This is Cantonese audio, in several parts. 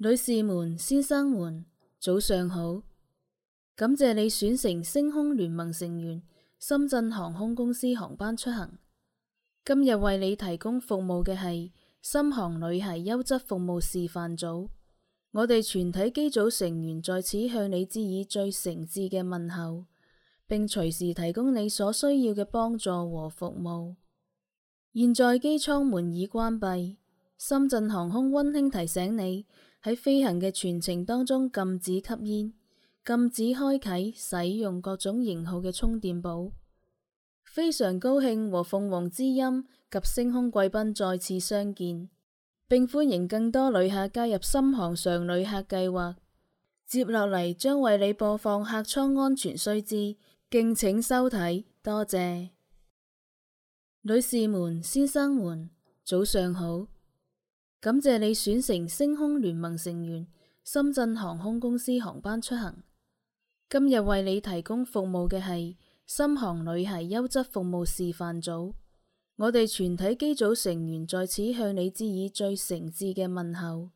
女士們、先生們，早上好！感謝你選乘星空聯盟成員深圳航空公司航班出行。今日為你提供服務嘅係深航女孩優質服務示範組。我哋全體機組成員在此向你致以最誠摯嘅問候，並隨時提供你所需要嘅幫助和服務。現在機艙門已關閉，深圳航空溫馨提醒你，喺飛行嘅全程當中禁止吸煙，禁止開啟使用各種型號嘅充電寶。非常高興和鳳凰之音及星空貴賓再次相見，並歡迎更多旅客加入深航常旅客計劃。接落嚟將為你播放客艙安全須知，敬請收睇，多謝。女士們、先生們，早上好！感謝你選乘星空聯盟成員深圳航空公司航班出行。今日為你提供服務嘅係深航女孩優質服務示範組。我哋全體機組成員在此向你致以最誠摯嘅問候，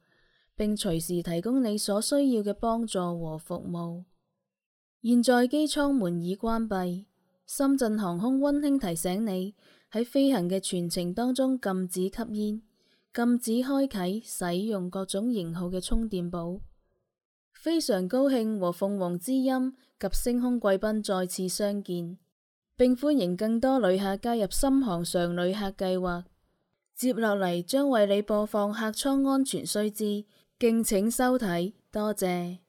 並隨時提供你所需要嘅幫助和服務。現在機艙門已關閉，深圳航空溫馨提醒你，喺飛行嘅全程當中禁止吸煙，禁止開啟使用各種型號嘅充電寶。非常高興和鳳凰之音及星空貴賓再次相見，並歡迎更多旅客加入深航常旅客計劃。接落嚟將為你播放客艙安全須知，敬請收睇，多謝。